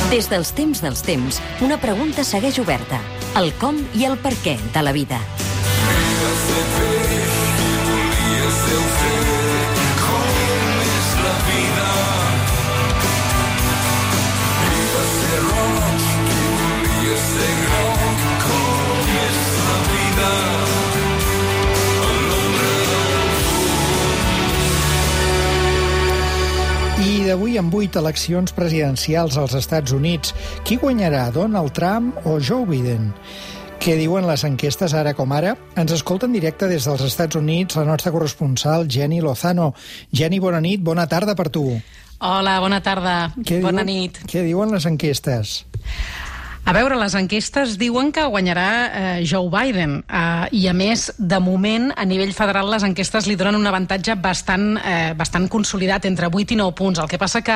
Des dels temps, una pregunta segueix oberta. El com i el per què de la vida. I d'avui amb 8 eleccions presidencials als Estats Units, qui guanyarà, Donald Trump o Joe Biden? Què diuen les enquestes ara com ara? Ens escolta en directe des dels Estats Units la nostra corresponsal Jenny Lozano. Jenny, bona nit, bona tarda per tu. Hola, bona tarda, bona nit. Què diuen les enquestes? A veure, les enquestes diuen que guanyarà Joe Biden i, a més, de moment, a nivell federal, les enquestes li donen un avantatge bastant consolidat, entre 8 i 9 punts. El que passa que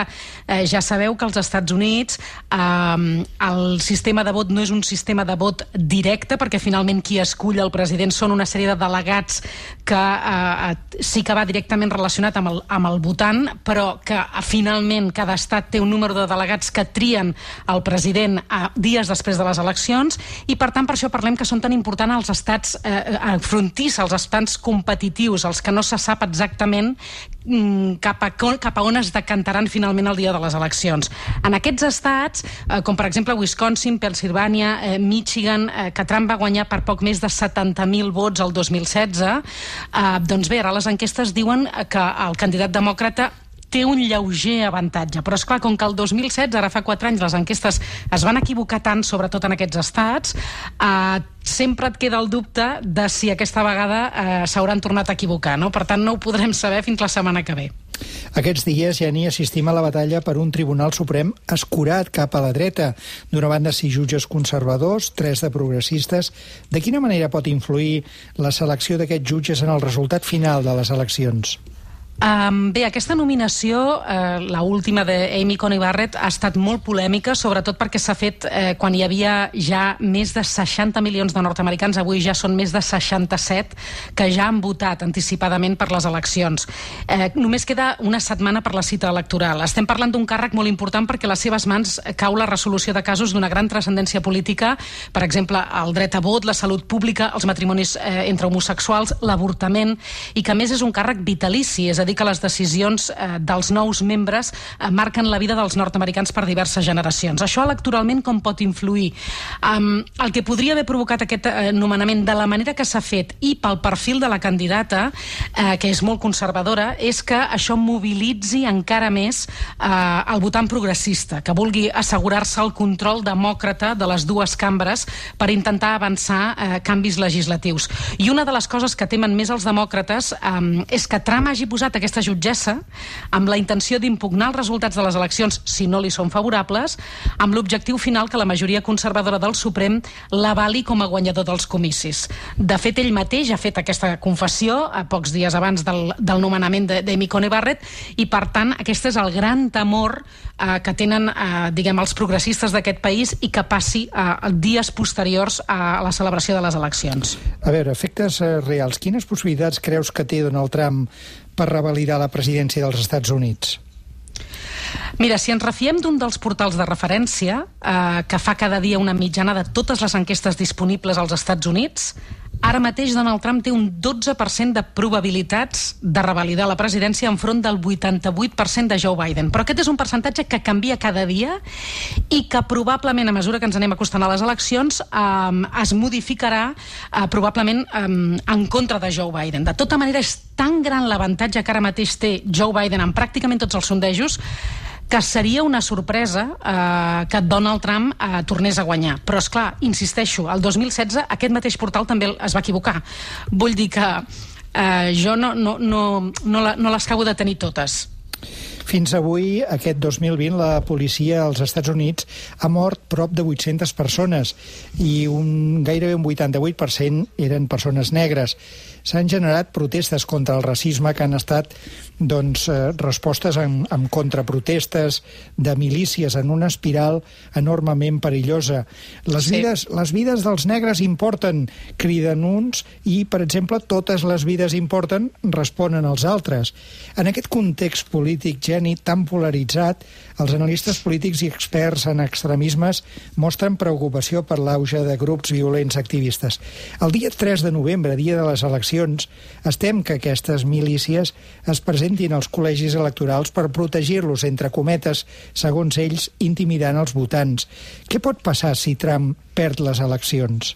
ja sabeu que als Estats Units el sistema de vot no és un sistema de vot directe, perquè finalment qui escull el president són una sèrie de delegats que sí que va directament relacionat amb el votant, però que finalment cada estat té un número de delegats que trien el president dies després de les eleccions, i per tant per això parlem que són tan importants els estats frontisses, els estats competitius, els que no se sap exactament cap a on es decantaran finalment el dia de les eleccions. En aquests estats, com per exemple Wisconsin, Pennsilvània, Michigan, que Trump va guanyar per poc més de 70.000 vots el 2016, doncs bé, ara les enquestes diuen que el candidat demòcrata té un lleuger avantatge, però esclar, com que el 2016, ara fa 4 anys, les enquestes es van equivocar tant, sobretot en aquests estats, sempre et queda el dubte de si aquesta vegada s'hauran tornat a equivocar, no? Per tant, no ho podrem saber fins la setmana que ve. Aquests dies ja ni assistim a la batalla per un Tribunal Suprem escurat cap a la dreta. D'una banda, 6 jutges conservadors, 3 de progressistes. De quina manera pot influir la selecció d'aquests jutges en el resultat final de les eleccions? Bé, aquesta nominació, la última d'Amy Coney Barrett, ha estat molt polèmica, sobretot perquè s'ha fet quan hi havia ja més de 60 milions de nord-americans, avui ja són més de 67, que ja han votat anticipadament per les eleccions. Només queda una setmana per la cita electoral. Estem parlant d'un càrrec molt important perquè a les seves mans cau la resolució de casos d'una gran transcendència política, per exemple, el dret a vot, la salut pública, els matrimonis entre homosexuals, l'avortament, i que a més és un càrrec vitalici, és a dir, que les decisions dels nous membres marquen la vida dels nord-americans per diverses generacions. Això electoralment com pot influir? El que podria haver provocat aquest nomenament de la manera que s'ha fet i pel perfil de la candidata, que és molt conservadora, és que això mobilitzi encara més el votant progressista, que vulgui assegurar-se el control demòcrata de les dues cambres per intentar avançar canvis legislatius. I una de les coses que temen més els demòcrates és que Trump hagi posat aquesta jutgessa amb la intenció d'impugnar els resultats de les eleccions si no li són favorables, amb l'objectiu final que la majoria conservadora del Suprem l'avali com a guanyador dels comicis. De fet, ell mateix ha fet aquesta confessió a pocs dies abans del nomenament d'Amy Coney Barrett, i per tant aquest és el gran temor que tenen els progressistes d'aquest país, i que passi dies posteriors a la celebració de les eleccions. A veure, efectes reals, quines possibilitats creus que té Donald Trump per revalidar la presidència dels Estats Units? Mira, si ens refiem d'un dels portals de referència que fa cada dia una mitjana de totes les enquestes disponibles als Estats Units, ara mateix Donald Trump té un 12% de probabilitats de revalidar la presidència enfront del 88% de Joe Biden. Però aquest és un percentatge que canvia cada dia i que probablement, a mesura que ens anem acostant a les eleccions, es modificarà probablement en contra de Joe Biden. De tota manera, és tan gran l'avantatge que ara mateix té Joe Biden en pràcticament tots els sondejos que seria una sorpresa que Donald Trump tornés a guanyar. Però, esclar, insisteixo, el 2016 aquest mateix portal també es va equivocar. Vull dir que jo no les acabo de tenir totes. Fins avui, aquest 2020, la policia als Estats Units ha mort prop de 800 persones i gairebé un 88% eren persones negres. s'han generat protestes contra el racisme que han estat respostes amb contraprotestes de milícies en una espiral enormement perillosa. Les vides dels negres importen, criden uns, i, per exemple, totes les vides importen, responen els altres. En aquest context polític, Jenny, tan polaritzat, els analistes polítics i experts en extremismes mostren preocupació per l'auge de grups violents activistes. El dia 3 de novembre, dia de les eleccions, es tem que aquestes milícies es presentin als col·legis electorals per protegir-los, entre cometes, segons ells, intimidant els votants. Què pot passar si Trump perd les eleccions?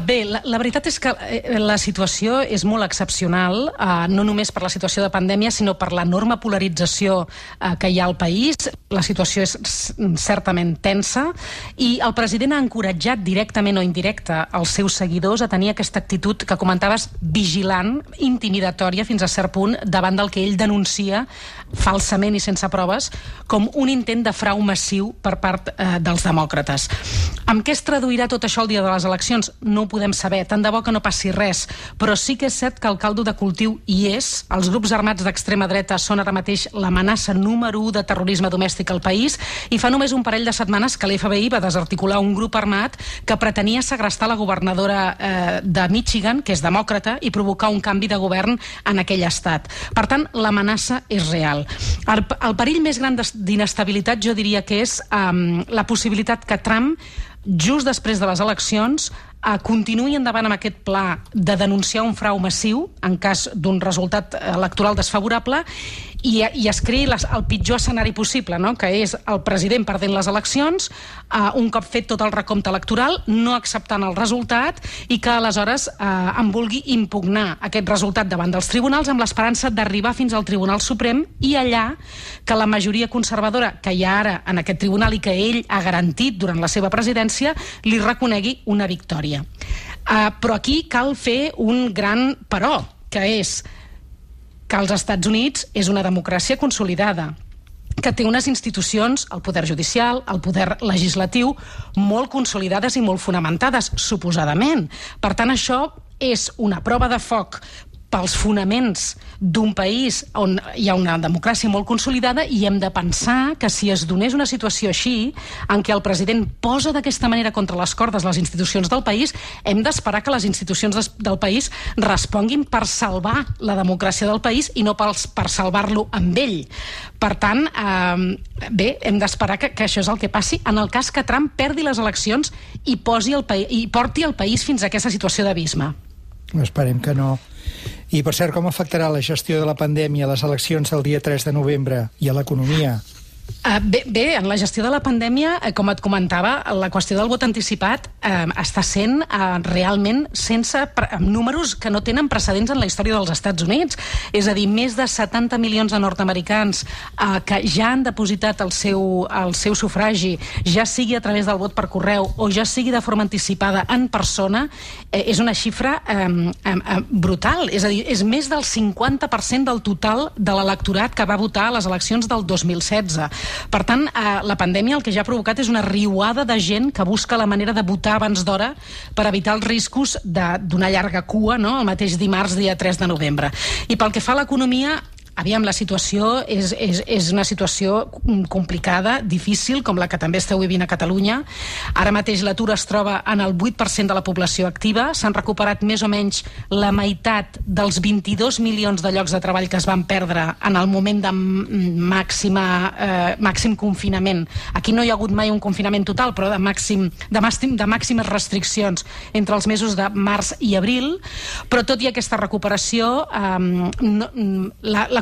Bé, la veritat és que la situació és molt excepcional, no només per la situació de pandèmia, sinó per l'enorme polarització que hi ha al país. La situació és certament tensa i el president ha encoratjat directament o indirecta els seus seguidors a tenir aquesta actitud que comentaves, vigilant, intimidatòria fins a cert punt, davant del que ell denuncia falsament i sense proves com un intent de frau massiu per part dels demòcrates. Amb què es traduirà tot això el dia de les eleccions? No ho podem saber, tant de bo que no passi res, però sí que és cert que el caldo de cultiu hi és. Els grups armats d'extrema dreta són ara mateix l'amenaça número 1 de terrorisme domèstic al país i fa només un parell de setmanes que l'FBI va desarticular un grup armat que pretenia segrestar la governadora de Michigan, que és demòcrata, i provocar un canvi de govern en aquell estat. Per tant, l'amenaça és real. El perill més gran d'inestabilitat jo diria que és la possibilitat que Trump, just després de les eleccions, continuï endavant amb aquest pla de denunciar un frau massiu en cas d'un resultat electoral desfavorable i es creï el pitjor escenari possible, no? Que és el president perdent les eleccions, un cop fet tot el recompte electoral, no acceptant el resultat i que aleshores en vulgui impugnar aquest resultat davant dels tribunals amb l'esperança d'arribar fins al Tribunal Suprem i allà que la majoria conservadora que hi ha ara en aquest tribunal i que ell ha garantit durant la seva presidència li reconegui una victòria. Però aquí cal fer un gran però, que és que als Estats Units és una democràcia consolidada, que té unes institucions, el poder judicial, el poder legislatiu, molt consolidades i molt fonamentades, suposadament. Per tant, això és una prova de foc pels fonaments d'un país on hi ha una democràcia molt consolidada i hem de pensar que si es donés una situació així, en què el president posa d'aquesta manera contra les cordes les institucions del país, hem d'esperar que les institucions del país responguin per salvar la democràcia del país i no per salvar-lo amb ell. Per tant, bé, hem d'esperar que això és el que passi en el cas que Trump perdi les eleccions i porti el país fins a aquesta situació d'abisme. Esperem que no. I, per cert, com afectarà la gestió de la pandèmia a les eleccions del dia 3 de novembre i a l'economia? Bé, en la gestió de la pandèmia, com et comentava, la qüestió del vot anticipat està sent realment amb números que no tenen precedents en la història dels Estats Units. És a dir, més de 70 milions de nord-americans que ja han depositat el seu sufragi, ja sigui a través del vot per correu o ja sigui de forma anticipada en persona, és una xifra brutal. És a dir, és més del 50% del total de l'electorat que va votar a les eleccions del 2016. Per tant, la pandèmia el que ja ha provocat és una riuada de gent que busca la manera de votar abans d'hora per evitar els riscos d'una llarga cua, no?, el mateix dimarts, dia 3 de novembre. I pel que fa a l'economia, aviam, la situació és una situació complicada, difícil, com la que també esteu vivint a Catalunya. Ara mateix l'atur es troba en el 8% de la població activa. S'han recuperat més o menys la meitat dels 22 milions de llocs de treball que es van perdre en el moment de màxim confinament. Aquí no hi ha hagut mai un confinament total, però de màximes restriccions entre els mesos de març i abril. Però tot i aquesta recuperació,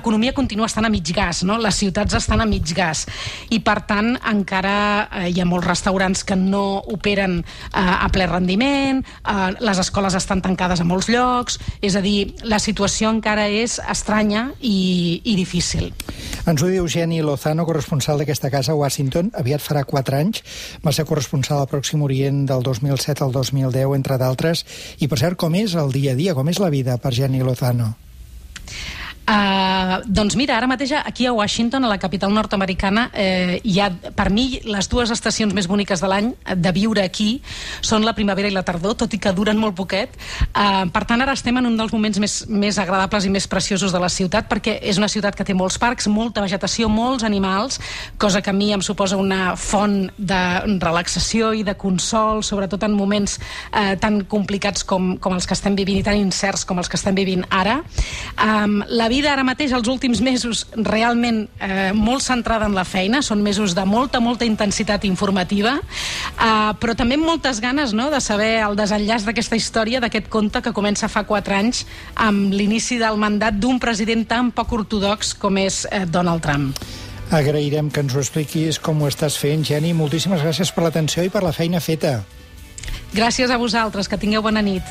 l'economia continua estant a mig gas, no? Les ciutats estan a mig gas i, per tant, encara hi ha molts restaurants que no operen a ple rendiment, les escoles estan tancades a molts llocs, és a dir, la situació encara és estranya i difícil. Ens ho diu Jenny Lozano, corresponsal d'aquesta casa a Washington. Aviat farà 4 anys. Va ser corresponsal al Pròxim Orient del 2007 al 2010, entre d'altres. I, per cert, com és el dia a dia, com és la vida per Jenny Lozano? Doncs mira, ara mateix aquí a Washington, a la capital nord-americana, hi ha, per mi, les dues estacions més boniques de l'any de viure aquí són la primavera i la tardor, tot i que duren molt poquet. Per tant, ara estem en un dels moments més agradables i més preciosos de la ciutat, perquè és una ciutat que té molts parcs, molta vegetació, molts animals, cosa que a mi em suposa una font de relaxació i de consol, sobretot en moments tan complicats com els que estem vivint i tan incerts com els que estem vivint ara. La vida ara mateix, els últims mesos, realment molt centrada en la feina, són mesos de molta intensitat informativa, però també amb moltes ganes, no?, de saber el desenllaç d'aquesta història, d'aquest conte que comença fa 4 anys amb l'inici del mandat d'un president tan poc ortodox com és Donald Trump. Agrairem que ens ho expliquis com ho estàs fent, Jenny. Moltíssimes gràcies per l'atenció i per la feina feta. Gràcies a vosaltres, que tingueu bona nit.